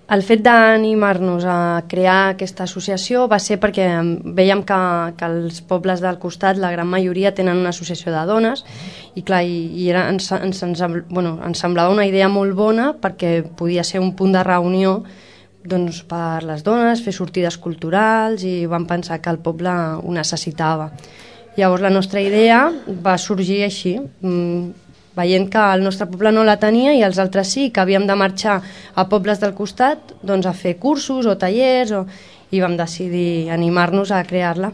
El fet d'animar-nos a crear aquesta associació va ser perquè veiem que els pobles del costat, la gran majoria, tenen una associació de dones i clar, ens semblava una idea molt bona perquè podia ser un punt de reunió doncs, per les dones, fer sortides culturals, i vam pensar que el poble ho necessitava. Llavors la nostra idea va sorgir així, veient que el nostre poble no la tenia i els altres sí, que havíem de marxar a pobles del costat doncs, a fer cursos o tallers, i vam decidir animar-nos a crear-la.